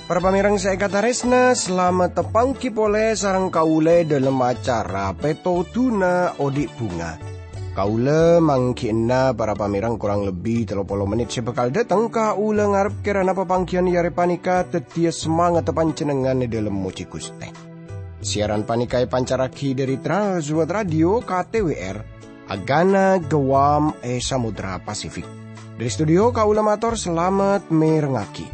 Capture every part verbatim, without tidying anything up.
Para pamèrèng sè èkatarèsna, salamet tapangghi polè sareng kaulâ è dhâlem acara Pètodhuna Odi' Bhunga. Kaulâ mangghi'na para pamèrèng korang lebbi tello polo mennit sè bhâkal dâteng. Kaulâ ngarep kèrana papangghiyân è arè panèka dhâddhiyâ samangatta panjhennengngan è dhâlem mojhi Ghustè. Siaran panèka èpancarraghi dhâri Trans World Radio K T W R, Agana Guam è Samudra Pasifik. Dhâri studio kaulâ mator salamet mèrengngaghi.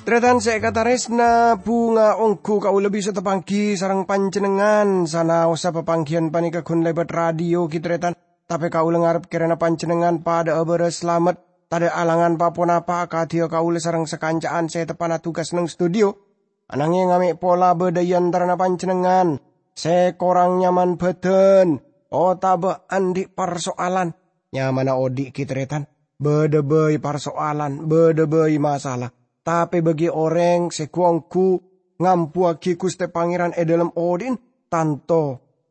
Tarètan sè èkatarèsna, bhunga ongghu kaulâ bisa tapangghi sareng panjhennengngan, sanaossa papangghiyân panèka ghun lèbât radio, ghi, tarètan. Tapè kaulâ ngarep kèrana panjhennengngan padhâ'â bârâs salamet, tadâ' alangan pa-ponapa akadhiyâ kaulâ sareng sakanca'an sè teppa'na tugas neng studio. Ananghèng mè' pola bâdâ è antarana panjhennengngan sè korang nyaman bhâdhân otabâ andi' parso'alan. Nyamana odi' ghi, tarètan, bâdâ bhâi parso'alan, bâdâ bhâi masalah. Tapè bagi orèng sè gu-ongghu ngambuwâghi Ghustè Pangèran è dhâlem odi'na, tanto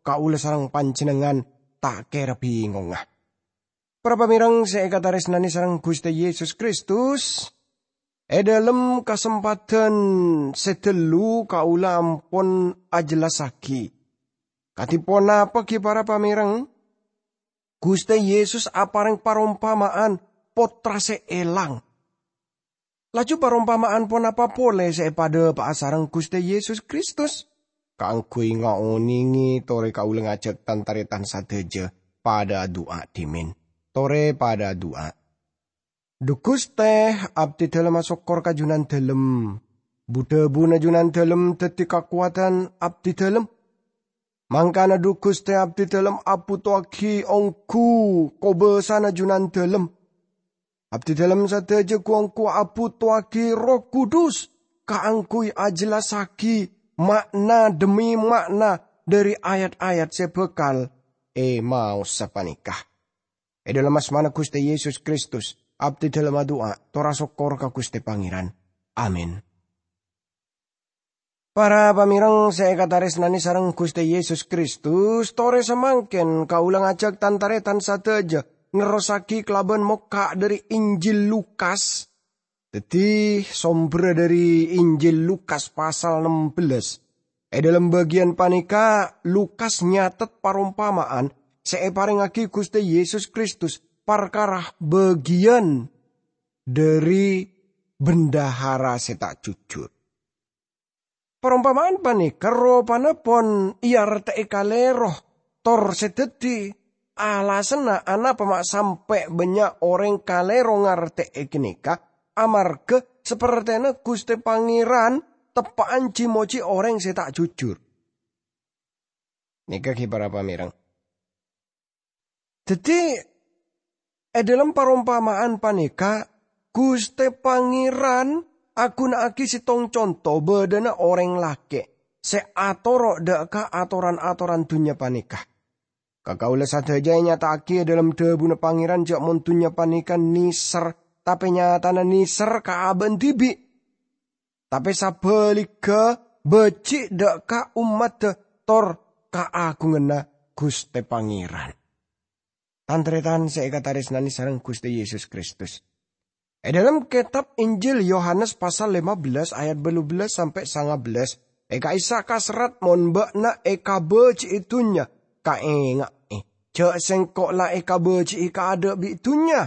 kaulâ sareng panjhennengngan ta' kèra bingongnga. Para pamèrèng sè èkatarèsnanè sareng Ghustè Yesus Kristus, è dhâlem kasempadhân sè dâllu kaulâ ampon ajellassaghi kadhi ponapa ghi para pamèrèng. Ghustè Yesus aparèng parompama'an pottra sè èlang. Laju parompama'an ponapa polè sè èpadhâpa'a sareng Ghustè Yesus Kristus? Kaangghuy ngaonèngè torè kaulâ ngajhâk tan-tarètan sadhâjâ padhâ adu'a dhimèn. Torè padhâ adu'a. Dhu Ghustè, abdhidhâlem asokkor ka Junandhâlem. Bu-dhâbuna Junandhâlem dhâddhi kakowadhân abdhidhâlem. Mangkana, dhu Ghustè, abdhidhâlem abhutowaghi ongghu kobâsana Junandhâlem. Abdhidhâlem sadhâjâ gu-ongghu abhutowaghi Erroh Kudus kaangghuy ajellassaghi ma'na dhemmi ma'na dhâri ayat-ayat sè bhâkal èmaosa panèka. È dhâlem asmana Ghustè Yesus Kristus, abdhidhâlem adu'a, tor asokkor ka Ghustè Pangèran. Amin. Para pamèrèng sè èkatarèsnanè sareng Ghustè Yesus Kristus, torè samangkèn kaulâ ngajhâk tan-tarètan sadhâjâ nerrossaghi kalabân mokka' dhâri Injil Lukas. Dhâddhi, somberra dhâri Injil Lukas pasal nem bellâs. È dhâlem bâgiyân panèka, Lukas nyatet parompama'an sè èparèngaghi Ghustè Yesus Kristus parkara bâgiyân dhâri bendahara sè ta' jujur. Parompama'an panèka ropana pon èartè'è kalèro, tor sè dhâddhi alasanna anapa ma' sampè' bânnya' orèng kalèro ngartè'è ghânèka, amarghâ sapertèna Ghustè Pangèran teppa'an ji-mojhi orèng sè ta' jujur. Nèka ghi para pamèrèng. Dhâddhi, è dhâlem parompama'an panèka, Ghustè Pangèran aghuna'aghi sèttong conto bâdâna orèng lakè' sè atoro' dâ' ka atoran-atoran dhunnya panèka. Ka kaulâ sadhâjâ ènyata'aghi è dhâlem dhâbuna Pangèran jâ' mon dhunnya panèka nèser, tapè nyatana nèser ka abâ'na dhibi'. Tapè sabhâligghâ, bâji' dâ' ka ommaddhâ tor kaagunganna Ghustè Pangèran. Tan-tarètan sè èkatarèsnanè sareng Ghustè Yesus Kristus. È dhâlem kètab Injil Yohanes pasal lèma bellâs ayat bâllu bellâs sampè' sanga bellâs, è ka'issa' kaserrat, "Mon bâ'na èkabâji'i dhunnya, kaènga'è, jâ' Sèngko' la èkabâji'i kaadâ' bi' dhunnya."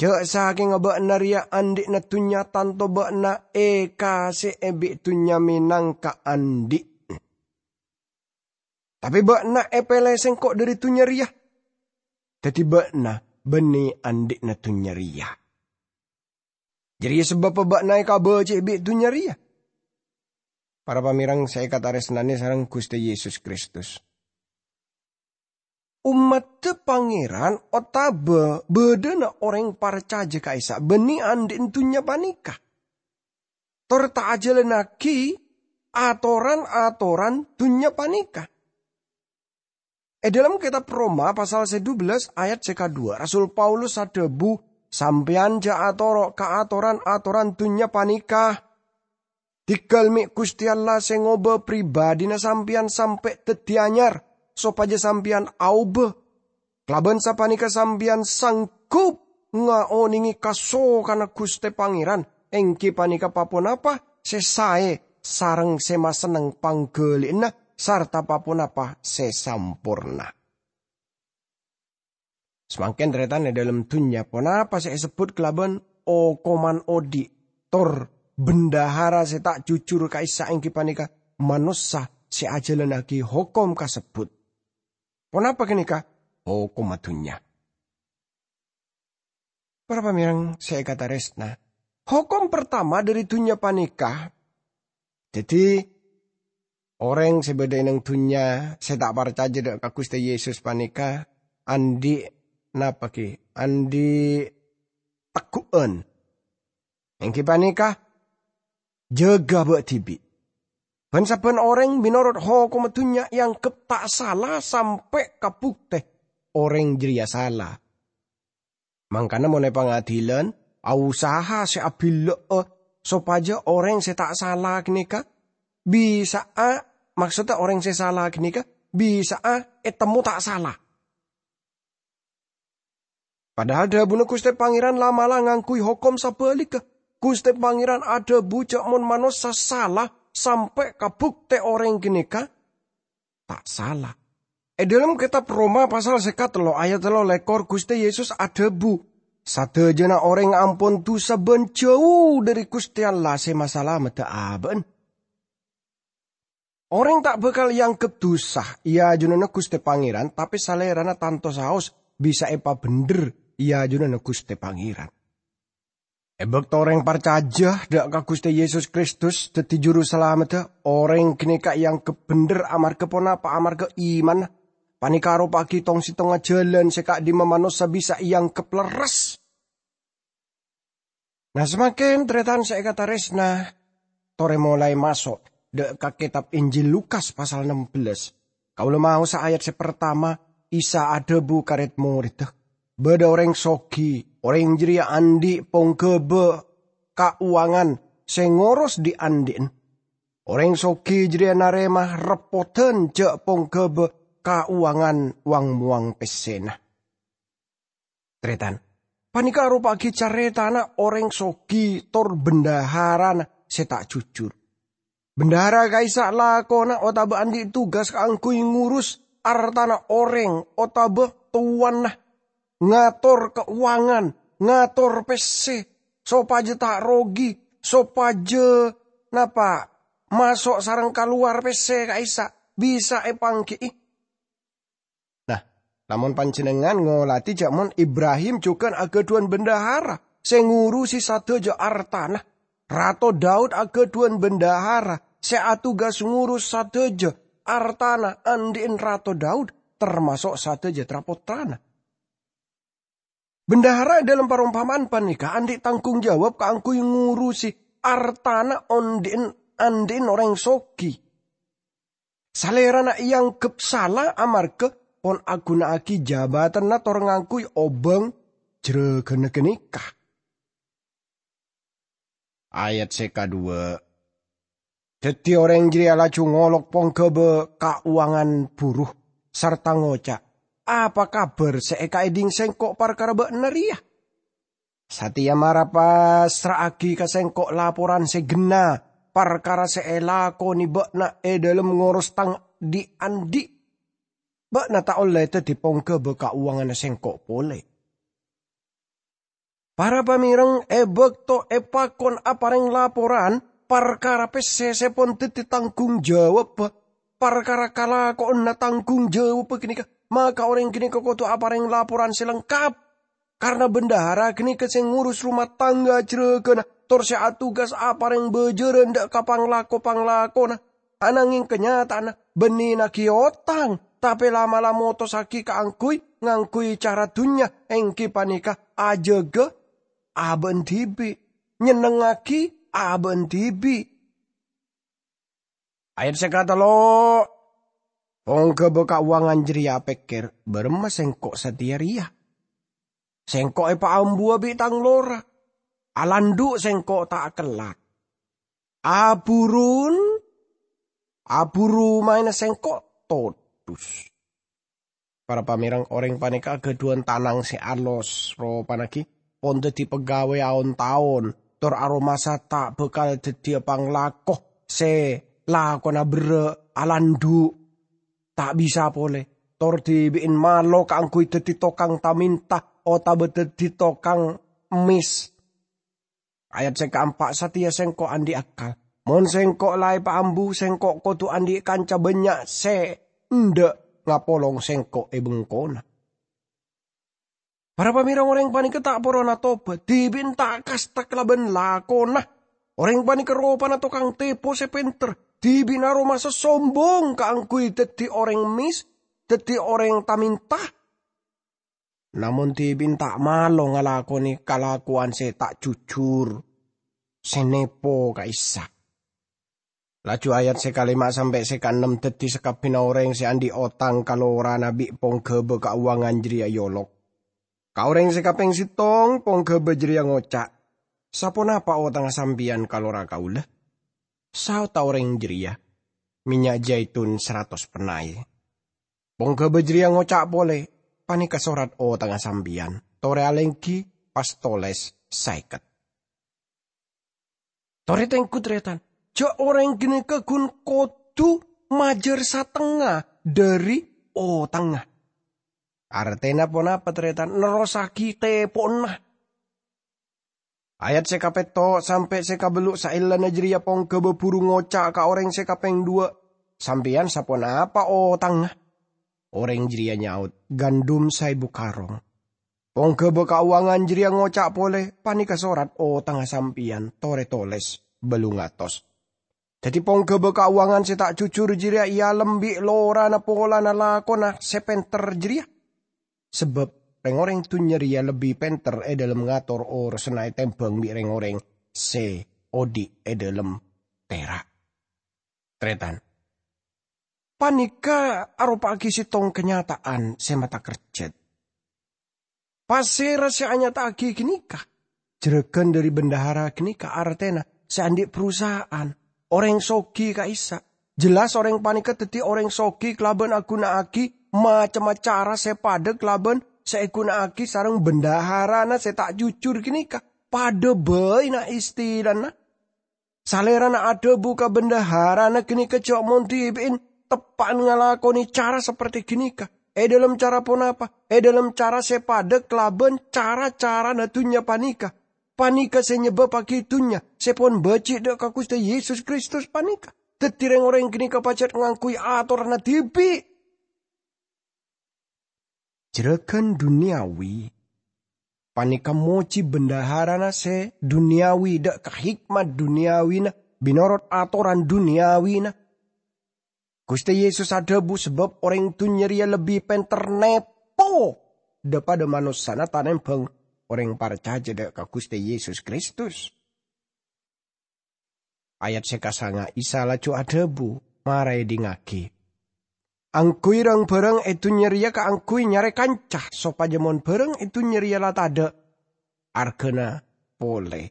Jâ' sakènga bâ'na rèya andi'na dhunnya, tanto bâ'na èkasè'è bi' dhunnya mènangka andi'na. Tapè bâ'na èpèlè Sèngko' dhâri dhunnya rèya, dhâddhi bâ'na bânnè andi'na dhunnya rèya. Jârèya sabâbbhâ bâ'na èkabâji'i bi' dhunnya rèya. Para pamèrèng sè èkatarèsnanè sareng Ghustè Yesus Kristus. Ommaddhâ Pangèran otabâ bâdâna orèng parcajâ ka'issa' bânnè andi'na dhunnya panèka. tor ta' ajhâlânnaghi atoran-atoran dhunnya panèka. È dhâlem Kètab Roma pasal sè dubellâs ayat sè kadhuwâ', Rasul Paulus adhâbu, "Sampèyan jhâ' atoro' ka atoran-atoran dhunnya panèka. Dhigghâl mè' Ghustè Allah sè ngobâ pribadhina sampèyan sampè' dhâddhi anyar, sopajâ sampèyan aobâ. Kalabân sapanèka sampèyan sanggup ngaonèngè kasokanna Ghustè Pangèran, èngghi panèka pa-ponapa sè saè sareng sè masenneng pangghâli'ânna, sarta pa-ponapa sè samporna." Samangkèn, tarètan, è dhâlem dhunnya, ponapa sè èsebbhut kalabân okoman odi', tor bendahara sè ta' jujur ka'issa' èngghi panèka manossa sè ajhâlânnaghi hokom kasebbhut. Ponapa ghânèka? Hokomma dhunnya. Para pamèreng sè èkatarèsna, hokom partama dhâri dhunnya panèka, dhâddhi, orèng sè bâdâ è nèng dhunnya sè ta' parcajâ dhâ' ka Ghustè Yesus panèka andi' napa ghi? Andi' tegghu'ân. Èngghi panèka, jâgâ bâ' dhibi'. Bân-sabbhân orèng mènorot hokomma dhunnya èangghep ta' sala sampè' ka buktè orèng jârèya sala. Mangkana mon è pangadilan, aosaha sè abhillâ'â sopajâ orèng sè ta' sala ghânèka bisa'a, maksodda orèng sè sala ghânèka bisa'a ètemmo ta' sala. Padahal dhâbuna Ghustè Pangèran la'-mala' ngangghuy hokom sabhâligghâ. Ghustè Pangèran adhâbu jhâ' mon manossa sala sampè' ka buktè orèng ghânèka ta' sala. È dhâlem Kètab Roma pasal sè katello ayat tello lèkor, Ghustè Yesus adhâbu, "Sadhâjâna orèng ampon dusa bân jhâu dhâri Ghustè Allah sè masalameddhâ abâ'na." Orèng ta' bhâkal èangghep dusa è ajunanna Ghustè Pangèran, tapè salèrana tanto saos bisa èpabhendher è ajunanna Ghustè Pangèran. È bâkto orèng parcajâ dhâ' ka Ghustè Yesus Kristus dhâddhi Juru Salameddhâ, orèng ghânèka èangghep bhendher amarghâ ponapa? Amarghâ imanna. Panèka aropa'aghi tong-settongnga jhâlân sè ka'dimma manossa bisa èangghep lerres. Nah, samangkèn, tarètan sè èkatarèsna, torè molaè maso' dhâ' ka kètab Injil Lukas pasal nem bellâs. Kaulâ maosa ayat sè partama, Isa adhâbu ka rèd-morèdda, "Bâdâ orèng soghi, orèng jârèya andi' pongghâbâ kauwangan sè ngoros dhi'-andhi'na. Orèng soghi jârèya narèma reppodhân jhâ' pongghâbâ kauwangan wang-mowang pèssèna." Tarètan, panèka aropa'aghi carètana orèng soghi tor bendaharana sè ta' jujur. Bendahara ka'issa' lakona otabâ andi' tugas kaangghuy ngurus artana orèng otabâ towana, ngator kauwangan, ngator pèssè, sopajâ ta' rogi, sopajâ napa, maso' sareng kalowar pèssè ka'issa' bisa èpanggi'i. Nah, lamon panjhennengngan ngolatè jhâ' mon Ibrahim jhughân aghâdhuwân bendahara sè ngurusi sadhâjâ artana, Rato Daud aghâdhuwân bendahara sè atugas ngurus sadhâjâ artana andhi'en Rato Daud, tamaso' sadhâjâ tra-pottrana. Bendahara è dhâlem parompama'an panèka andhi' tanggung jawab kaangghuy ngurusi artana ondhi'en, andhi'en orèng soghi. Salèrana èangghep sala amarghâ pon aghuna'aghi jabâtanna tor ngangghuy obâng jârâghânna ghânèka. Ayat sè kadhuwâ'. Dhâddhi orèng jârèya laju ngolok pongghâbâ kauwangan buru, sarta ngoca', "Apa kabhâr sè èkaèdhing sèngko' parkara bâ'na rèya? Satèya mara pasra'aghi ka sèngko' laporan sè ghenna parkara sè èlakonè bâ'na è dhâlem ngoros tang dhi'-andhi'. Bâ'na ta' ollè dhâddhi pongghâbâ kauwanganna sèngko' polè." Para pamèreng, è bâkto èpakon aparèng laporan parkara pèssè sè pon dhâddhi tanggung jawabbhâ, parkara kalakowanna tanggung jawabbhâ ghânèka, maka orèng ghânèka kodhu aparèng laporan sè lengkap. Karna bendahara ghânèka sè ngurus rumah tangga jârâghâna, tor sè atugas aparèng bhâjârân dhâ' ka panglako-panglakona. Anangèng kanyata'anna, bânnè naghi otang, tapè la'-mala' motossaghi kaangghuy ngangghuy cara dhunnya, èngghi panèka ajâgâ abâ'na dhibi', nyennengngaghi abâ'na dhibi'. Ayat sè katello', ponggâbâ kauwangan jârèya apèkkèr, "Bârâmma sèngko' satèya rèya? Sèngko' èpaambuwâ bi' tang lora. Alandhu' sèngko' ta' akellak. Aburun, aburu maènna sèngko' todus." Para pamèreng, orèng panèka aghâdhuwân tanang sè alos, ropana ghi pon dhâddhi pegawai aon-taon, tor aromasa ta' bhâkal dhâddhiyâ panglako sè lakona berrâ', alandhu', ta' bisa polè, tor dhibi'en malo kaangghuy dhâddhi tokang tamènta otabâ dhâddhi tokang emmis. Ayat sè kaempa', "Satèya sèngko' andi' akkal. Mon sèngko' la èpaambu, sèngko' kodhu andi' kanca bânnya' sè endâ' ngapolong sèngko' è bengkona." Para pamèreng, orèng panèka ta' porona tobat, dhibi'en ta' kasta kalabân lakona. Orèng panèka ropana tokang tèpo sè pènter, dhibi'na aromasa sombong kaangghuy dhâddhi orèng emmis, dhâddhi orèng tamènta. Namong dhibi'en ta' malo ngalakonè kalakowan sè ta' jujur, sè nèpo ka'issa'. Laju ayat sè kalèma sampè' sè kaennem, dhâddhi sakabbhiyânna orèng sè andi' otang ka lorana bi' ponggâbâ kauwangan jârèya èolok. Ka orèng sè kapèng sèttong, ponggâbâ jârèya ngoca', "Saponapa otangnga sampèyan ka lora kaulâ?" Saodhdhâ orèng jârèya, "Mènnya' jaitun saratos pennay." Ponggâbâ jârèya ngoca' polè, "Panèka sorat otangnga sampèyan, torè alèngghi pas tolès saèket." Torè tèngghu, tarètan, jâ' orèng ghânèka ghun kodhu majâr satengnga dhâri otangnga. Artèna ponapa, tarètan? Nerrossaghi tèpo'na. Ayat sè kapètto' sampè' sè kabellu' saellana jârèya ponggâbâ buru ngoca' ka orèng sè kapèng dhuwâ', "Sampèyan saponapa otangnga?" Orèng jârèya nyaot, "Gandum saèbu karong." Ponggâbâ kauwangan jârèya ngoca' polè, "Panèka sorat otangnga sampèyan, torè tolès bâllung atos." Dhâddhi ponggâbâ kauwangan sè ta' jujur jârèya èalem bi' lorana polana lakona sè pènter jârèya. Sabâb rèng-orèng dhunnya rèya lebbi pènter è dhâlem ngator orosanna ètèmbhâng bi' rèng-orèng sè odi' è dhâlem tèra'. Tarètan, panèka aropa'aghi sèttong kanyata'an sè matakerjhât. Pasèra sè anyata'aghi ghânèka? Jârâghân dhâri bendahara ghânèka artèna sè andi' perusahaan, orèng soghi ka'issa'. Jelas orèng panèka dhâddhi orèng soghi kalabân aghuna'aghi macemma cara sè padâ kalabân sè èghuna'aghi sareng bendaharana sè ta' jujur ghânèka. Padâ bhâina istilana. Salèrana adhâbu ka bendaharana ghânèka jâ' mon dhibi'en teppa'an ngalakonè cara saperti ghânèka. È dhâlem cara ponapa? È dhâlem cara sè padâ kalabân ca-carana dhunnya panèka. Panèka sè nyebâbbhâghi dhunnya sè pon bâji' dhâ' ka Ghustè Yesus Kristus panèka dhâddhi rèng-orèng ghânèka pajhât ngangghuy atoranna dhibi'. Jârâghân dunyawi panèka mojhi bendaharana sè dunyawi dhâ' ka hikmat dunyawina, mènorot atoran dunyawina. Ghustè Yesus adhâbu sabâb orèng dhunnya rèya lebbi pènter nèpo dhâ-padâ manossana tanèmbhâng orèng parcajâ dhâ' ka Ghustè Yesus Kristus. Ayat sè kasanga, Isa laju adhâbu, "Mara èdingngaghi. Angghuy rang-bhârâng è dhunnya rèya kaangghuy nyarè kanca, sopajâ mon bhârâng è dhunnya rèya la tadhâ', arghâna polè,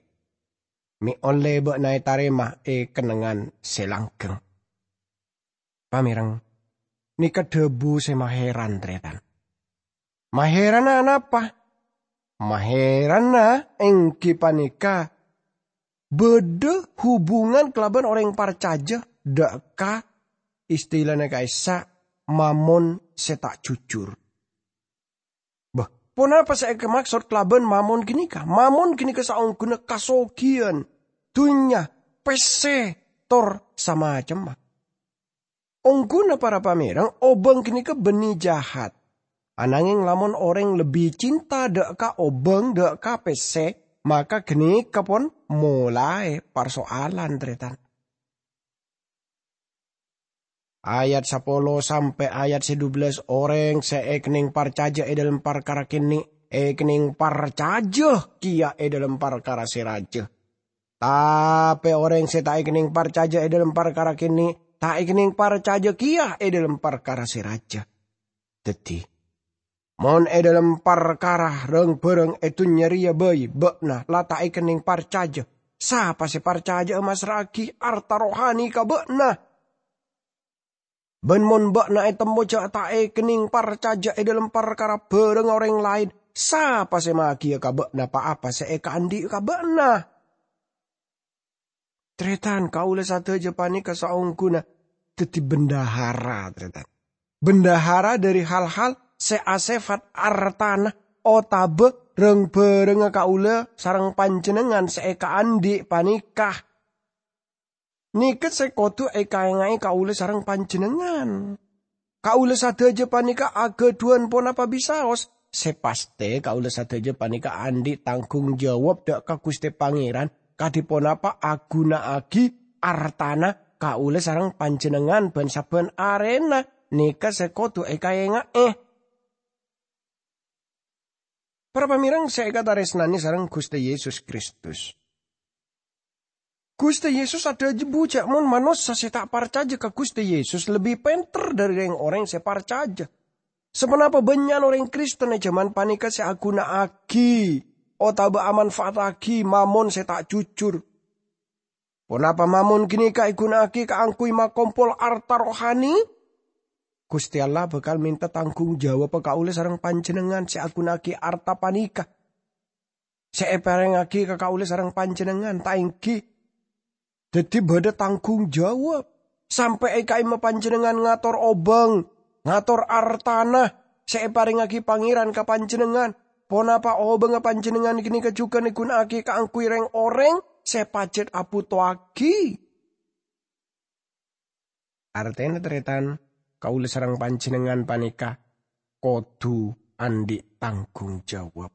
mè' ollè bâ'na ètarèma è kennengngan sè langghâng." Pamèreng, nèka dhâbu sè mahèran, tarètan. Mahèranna anapa? Mahèranna èngghi panèka bâdâ hubungan kalabân orèng parcajâ dhâ' ka istilana ka'issa' mamon sè ta' jujur. Bâh, ponapa sè èkamaksod kalabân mamon ghânèka? Mamon ghânèka saongghuna kasoghiyân, dhunnya, pèssè, tor samacemma. Ongghuna para pamèreng, obâng ghânèka bânnè jahat. Anangèng lamon orèng lebbi cinta dhâ' ka obâng dhâ' ka pèssè, maka ghânèka pon molaè parsoalan, tarètan. Ayat sapolo sampè' ayat sè dubellâs, orèng sè èkennèng parcajâ è dhâlem parkara kènè', èkennèng parcajâ kèya è dhâlem parkara sè rajâ. Tapè orèng sè ta' èkennèng parcajâ è dhâlem parkara kènè', ta' èkennèng parcajâ kèya è dhâlem parkara sè rajâ. Dhâddhi, mon è dhâlem parkara rang-bhârâng è dhunnya rèya bhâi bâ'na la ta' èkennèng parcajâ, sapa sè parcajâ'â massra'aghi arta rohani ka bâ'na? Bân mon bâ'na ètemmo jâ' ta' èkennèng parcajâ è dhâlem parkara bhârângnga orèng laèn, sapa sè magiyâ ka bâ'na pa-apa sè èkaandhi' ka bâ'na? Tarètan, kaulâ sadhâjâ panèka saongghuna dhâddhi bendahara, tarètan. Bendahara dhâri hal-hal sè asèfat artana otabâ rang-bhârângnga kaulâ sareng panjhennengngan sè èkaandhi' panèka. Nèka sè kodhu èkaènga'è kaulâ sareng panjhennengngan. Kaulâ sadhâjâ panèka aghâdhuwân ponapa bisaos. Sè pastè, kaulâ sadhâjâ panèka andhi' tanggung jawab dhâ' ka Ghustè Pangèran, kadhi ponapa aghuna'aghi artana kaulâ sareng panjhennengngan bân-sabbhân arèna. Nèka sè kodhu èkaènga'è. Para pamèreng sè èkatarèsnanè sareng Ghustè Yesus Kristus. Ghustè Yesus adhâbu jâ' mon manossa sè ta' parcajâ ka Ghustè Yesus lebbi pènter dhâri rèng-orèng sè parcajâ. Saponapa bânnya'na orèng Kristen è jhâman panèka sè aghuna'aghi otabâ amanfa'attaghi mammon sè ta' jujur? Ponapa mammon ghânèka èghuna'aghi kaangghuy makompol arta rohani? Ghustè Allah bhâkal mènta tanggung jawabbhâ kaulâ sareng panjhennengngan sè aghuna'aghi arta panèka sè èparèngaghi ka kaulâ sareng panjhennengngan, ta' èngghi? Dhâddhi bâdâ tanggung jawab. Sampè' è ka'imma panjhennengngan ngator obâng, ngator artana sè èparèngaghi Pangèran ka panjhennengngan. Ponapa obângnga panjhennengngan ghânèka jhughân èghuna'aghi kaangghuy rèng-orèng sè pajhât abhutowaghi? Artèna, tarètan, kaulâ sareng panjhennengngan panèka kodhu andhi' tanggung jawab.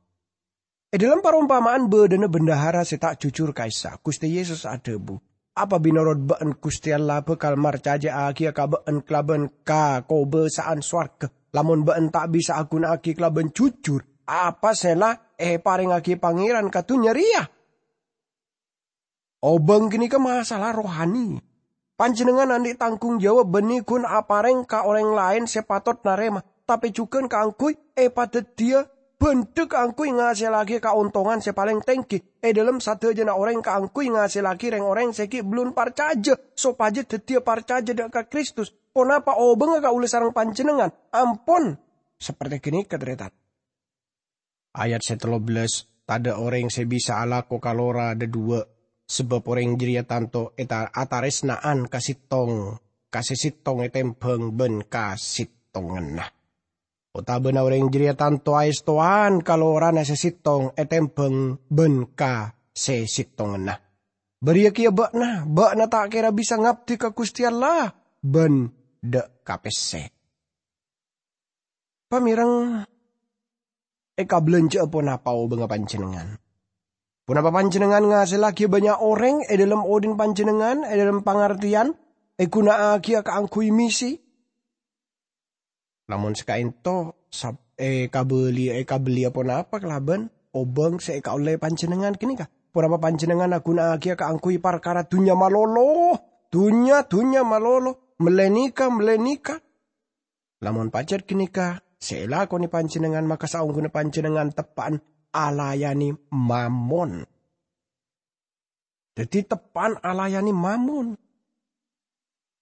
È dhâlem parompama'an bâdâna bendahara sè ta' jujur ka'issa', Ghustè Yesus adhâbu, "Apa bi' norot bâ'ân Ghustè Allah bhâkal marcajâ'âghiyâ ka bâ'ân kalabân kakobâsa'an sowarghâ, lamon bâ'ân ta' bisa aghuna'aghi kalabân jujur apa sè la èparèngaghi Pangèran ka dhunnya rèya?" Obâng ghânèka masalah rohani. Panjhennengngan andhi' tanggung jawab bânnè ghun aparèng ka orèng laèn sè patot narèma, tapè jhughân kaangghuy èpadhâddhiyâ bhândhâ kaangghuy ngasèllaghi kaontongan sè palèng tèngghi è dhâlem sadhâjâna orèng kaangghuy ngasèllaghi rèng-orèng sè ghi' bellun parcajâ, sopajâ dhâddhiyâ parcajâ dhâ' ka Kristus. Ponapa obângnga kaulâ sareng panjhennengngan? Ampon saperti ghânèka, tarètan. Ayat sè tello bellâs, "Tadâ' orèng sè bisa alako kalora dhâduwâ', sabâb orèng jârèya tanto èta-, atarèsna'an ka sèttong, ka sè sèttong ètèmbhâng bân ka sèttonganna. Otabâna orèng jârèya tanto aèstowaan kalorana sè sèttong ètèmbhâng bân ka sè sèttonganna. Bâriyâ kèya bâ'na, bâ'na ta' kèra bisa ngabdi ka Ghustè Allah bân dhâ' ka pèssè." Pamèreng, èkabellanjâ'â ponapa obângnga panjhennengngan? Ponapa panjhennengngan ngasèllaghi bânnya' orèng è dhâlem odhi'na panjhennengngan, è dhâlem pangartèyan èghuna'aghiyâ kaangghuy misi? Lamon sakaènto, sab-, èkabelliyâ, èkabelliyâ ponapa kalabân obâng sè èkaollè panjhennengngan ghânèka? Ponapa panjhennengngan aghuna'aghiyâ kaangghuy parkara dhunnya malolo? Dhunnya, dhunnya malolo, mellè nèka, mellè nèka. Lamon pajhât ghânèka sè èlakonè panjhennengngan, maka saongghuna panjhennengngan teppa'an alayanè Mammon. Dhâddhi teppa'an alayanè Mammon.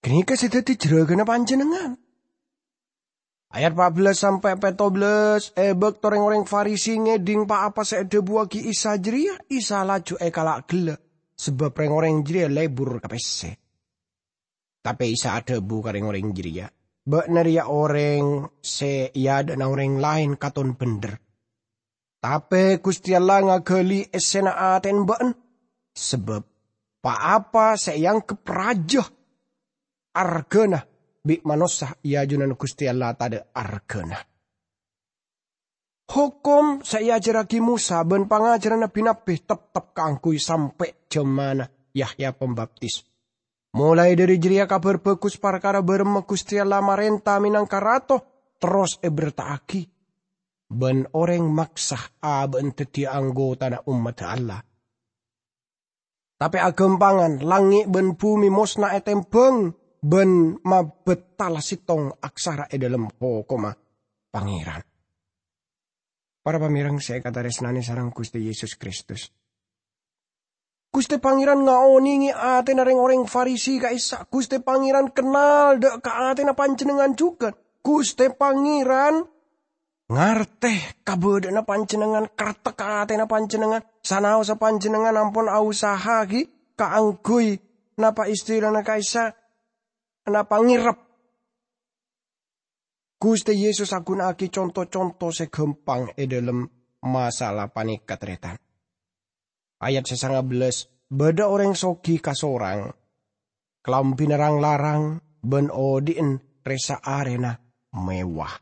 Ghânèka sè dhâddhi jhârâghânna panjhennengngan. Ayat pa' bellâs sampè' pètto bellâs, è bâkto rèng-orèng Farisi ngèdhing pa-apa sè èdhâbuwâghi Isa jârèya, Isa laju èkala' ghellâ', sabâb rèng-orèng jârèya lebur ka pèssè. Tapè Isa adhâbu ka rèng-orèng jârèya, "Bâ'na rèya orèng sè è adâ'na orèng laèn katon bhendher. Tapè Ghustè Allah ngaghâli èssèna atèna bâ'na, sabâb pa-apa sè èangghep rajâ arghâna bi' manossa è ajunanna Ghustè Allah tadâ' arghâna." Hokom sè èajhârraghi Mosa bân pangajhârânna bi-nabbi teptep kaangghuy sampè' jhâmanna Yahya Pambaptis. Molaè dhâri jârèya Kabhâr Bhâghus parkara bârâmma Ghustè Allah marènta mènangka Rato terros èberta'aghi, bân orèng maksa abâ'na dhâddhiyâ anggotana ommadda Allah. Tapè aghâmpangan, langngè' bân bhumè mosna ètèmbhâng bân mabât tala sèttong aksara è dhâlem hokomma Pangèran. Para pamèreng sè èkatarèsnanè sareng Ghustè Yesus Kristus. Ghustè Pangèran ngaonèngè atèna rèng-orèng Farisi ka'issa'. Ghustè Pangèran kennal dhâ' ka atèna panjhennengngan jhughân. Ghustè Pangèran ngartè kabâdâ'ânna panjhennengngan, kertek ka atèna panjhennengngan, sanaossa panjhennengngan ampon ausaha'aghi kaangghuy napa istilana ka'issa', napa ngèrep. Ghustè Yesus aghuna'aghi conto-conto sè ghâmpang è dhâlem masalah panèka, tarètan. Ayat sè sanga bellâs, bâdâ orèng soghi kasorang, kalambhina rang-larang, bân odi'en rè-saarèna mewah.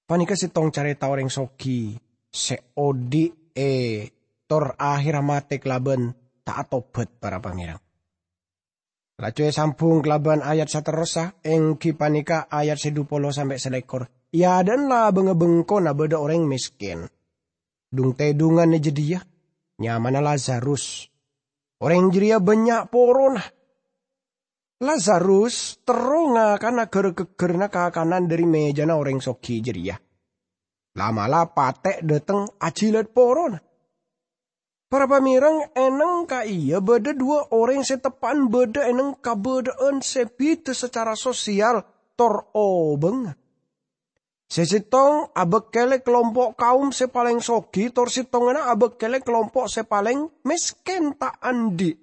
Panèka sèttong carèta orèng soghi sè odi' è tor ahèrra matè kalabân ta' atobhât, para pamèreng. Laju èsambhung kalabân ayat saterrossa, èngghi panèka ayat sè dhu polo sampè' salèkor. È adâ'na la-bângabâ bengkona bâdâ orèng mèskèn. Dhung-tèdhungan è jâdiyâ, nyamana Lazarus. Orèng jârèya bânnya' porona. Lazarus terro ngakana ghâr-ghâggârânna kakanan dhâri mèjana orèng soghi jârèya. La'-mala' patè' dâteng ajhilât porona. Para pamèreng, è nèng ka'iyâ bâdâ dhuwâ' orèng sè teppa'na bâdâ è nèng kabâdâ'ân sè bhidhâ sacara sosial tor obângnga. Sè sèttong abâkkèlè kalompo' kaum sè palèng soghi, tor sèttongnganna abâkkèlè kalompo' sè palèng mèskèn ta' andi'.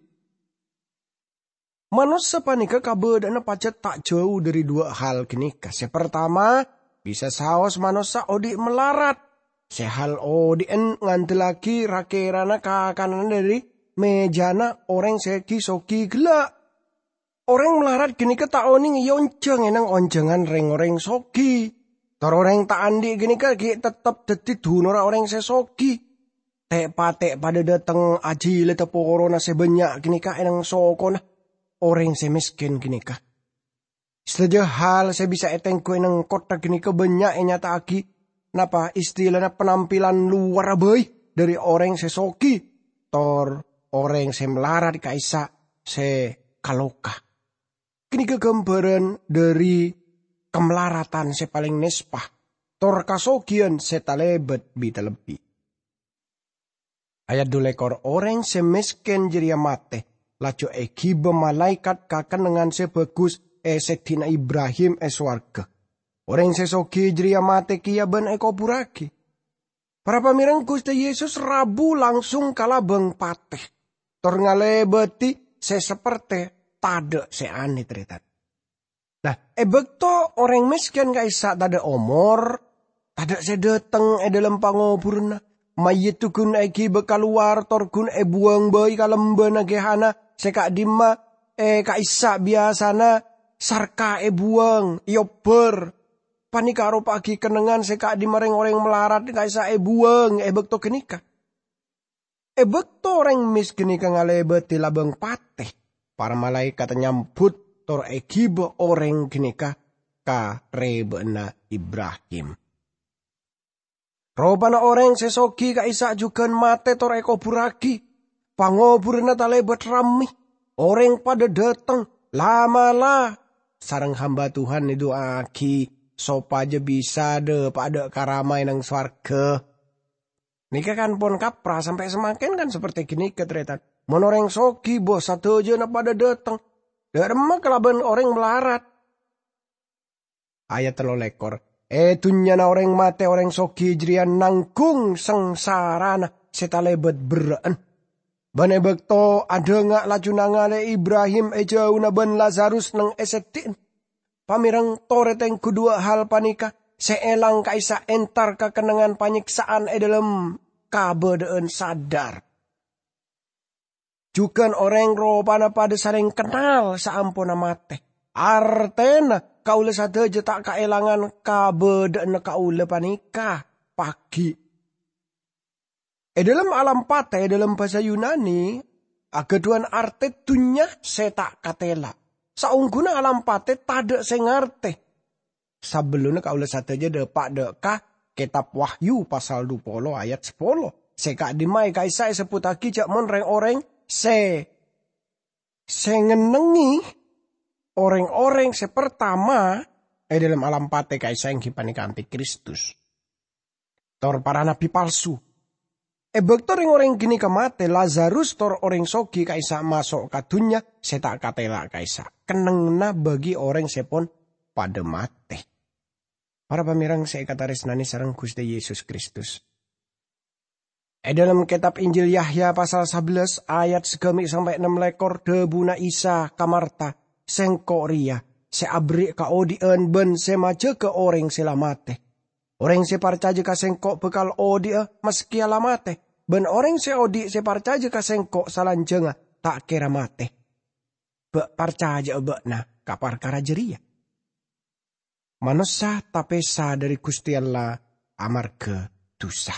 Manossa panèka kabâdâ'ânna pajhât ta' jhâu dhâri dhuwâ' hal ghânèka. Sè partama, bisa saos manossa odi' malarat. Sè hal odi'en ngandellaghi ra-kèrana kakananna dhâri mèjana orèng sè ghi-soghi ghellâ'. Orèng malarat ghânèka ta' onèng èonjhâng è nèng onjhângan rèng-orèng soghi. Tor orèng ta' andi' ghânèka ghi' tettep dhâddhi dunorra orèng sè soghi. Tè'-patè' padâ dâteng ajhilâdhâ porona sè bânnya' ghânèka è nèng sokona orèng sè mèskèn ghânèka. Sadhâjâ hal sè bisa ètèngghu è nèng kottha ghânèka bânnya' ènyata'aghi napa istilana penampilan lowarra bhâi dhâri orèng sè soghi, tor orèng sè malarat ka'issa' sè kaloka. Ghânèka ghâmbhârân dhâri kamalaratan sè palèng nèspa, tor kasoghiyân sè talèbât bi-talebbi. Ayat dhu lèkor, orèng sè mèskèn jârèya matè, laju èghibâ malaèkat ka kennengngan sè bhâghus è sèddhina Ibrahim è sowarghâ. Orèng sè soghi jârèya matè kèya bân èkoburraghi. Para pamèreng, Ghustè Yesus rabu langsung ka labâng patè, tor ngalèbâdhi sè sapertè tadâ' sè anè, tarètan. Nah, è bâkto orèng mèskèn ka'issa' tadâ' omor, tadâ' sè dâteng è dhâlem pangoburânna, mayyidda ghun èghibâ kalowar tor ghun èbuwâng bhâi ka lembâna Gehana sè ka'dimma è ka'issa' biyasana sarka èbuwâng, èobbhâr. Panèka aropa'aghi kennengngan sè ka'dimma rèng-orèng malarat ka'issa' èbuwâng è bâkto ghânèka. È bâkto orèng mèskèn ghânèka ngalèbâdhi labâng patè, para malaèkat nyambut tor èghibâ orèng ghânèka ka rèbâ'na Ibrahim. Ropana orèng sè soghi ka'issa' jhughân matè tor èkoburraghi. Pangoburânna talèbât rammè. Orèng padâ dâteng, la'-mala', sareng hamba Tuhan èdu'aaghi sopajâ bisa dâpa'a dâ' ka Rama è nèng sowarghâ. Nèka kan pon kapra sampè' samangkèn kan sapertè ghânèka, tarètan. Mon orèng soghi, bâh, sadhâjâna padâ dâteng. Dâ' remma kalabân orèng malarat. Ayat tello lèkor. È dhunnyana orèng matè, orèng soghi jârèya nangghung sangsarana sè talèbât berrâ'ân. Bân è bâkto adhânga' laju nangalè Ibrahim è jhâuna bân Lazarus nèng è sèddhi'na. Pamèreng, torè tèngghu duwâ' hal panèka sè èlang ka'issa' entar ka kennengngan panyèksa'an è dhâlem kabâdâ'ân sadhâr. Jhughân orèng ropana padâ salèng kennal saamponna matè. Artèna kaulâ sadhâjâ ta' kaèlangan kabâdâ'ânna kaulâ panèka, paghi'. È dhâlem alam patè, è dhâlem bhâsa Yunani, aghâdhuwân artè dhunnya sè ta' katèla'. Saongghuna alam patè tadâ' sè ngartè. Sabellunna kaulâ sadhâjâ dâpa' dâ' ka Kètab Wahyu pasal dhu polo ayat sapolo. Sè ka'dimma'a ka'issa' èsebbhuttaghi jâ' mon rèng-orèng sè, sè ngennengngè orèng-orèng sè partama è dhâlem alam patè ka'issa' èngghi panèka antikristus. Tor para nabbhi palsu. È bâkto rèng-orèng ghânèka matè, Lazarus tor orèng soghi ka'issa' maso' ka dhunnya sè ta' katèla' ka'issa', kennengnganna bagi orèng sè pon padâ matè. Para pamèreng sè èkatarèsnanè sareng Ghustè Yesus Kristus. È dhâlem kètab Injil Yahya pasal sabellâs ayat sagâmè' sampè' ennem lèkor, dhâbuna Isa ka Marta, "Sèngko' rèya sè aberri' kaodhi'ân bân sè majâgâ orèng sè la matè. Orèng sè parcajâ ka Sèngko' bhâkal odhi'a maskèya la matè, bân orèng sè odhi' sè parcajâ ka Sèngko' salanjhângnga ta' kèra matè. Bâ' parcajâ'â bâ'na ka parkara jârèya. Manossa tapèsa dhâri Ghustè Allah amarghâ dhusa."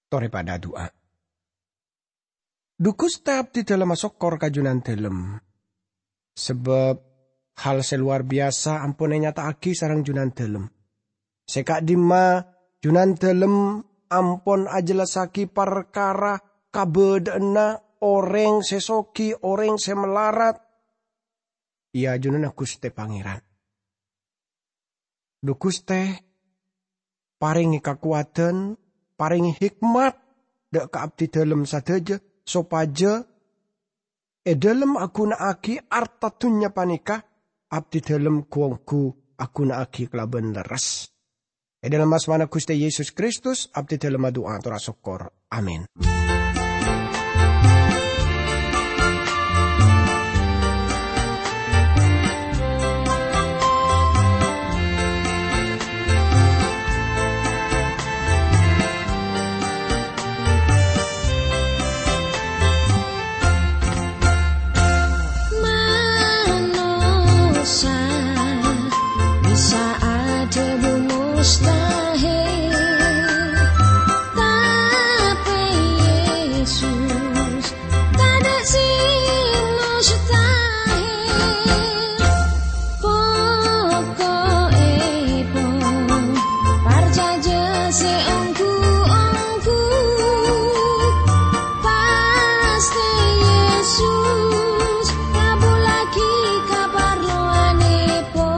Torè padâ adu'a. Dhu Ghustè, abdhidhâlem asokkor ka Jhunandhâlem, sabâb hal sè lowar biyasa ampon ènyata'aghi sareng Jhunandhâlem. Sè ka'dimma Jhunandhâlem ampon ajhellassaghi parkara kabâdâ'ânna orèng sè soghi, orèng sè malarat, è ajunanna Ghustè Pangèran. Dhu Ghustè, parèngè kakowadhân, parèngè hikmat dhâ' ka abdhidhâlem sadhâjâ, sopajâ è dhâlem aghuna'aghi arta dhunnya panèka, abdhidhâlem ghu-ongghu aghuna'aghi kalabân lerres. È dhâlem asmana Ghustè Yesus Kristus, abdhidhâlem adu'a tor asokkor. Amin. Manossa bisa adhâbu mustahil, tapè Yesus tadâ' sè mustahil. Poko'èpon parcajâ sè ongghu-ongghu, pastè Yesus ngabhullaghi kaparlowanèpon.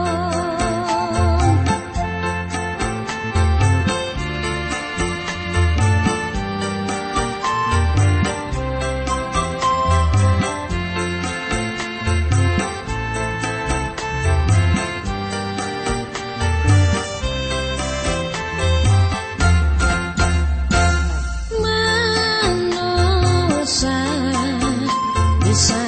Manossa bisa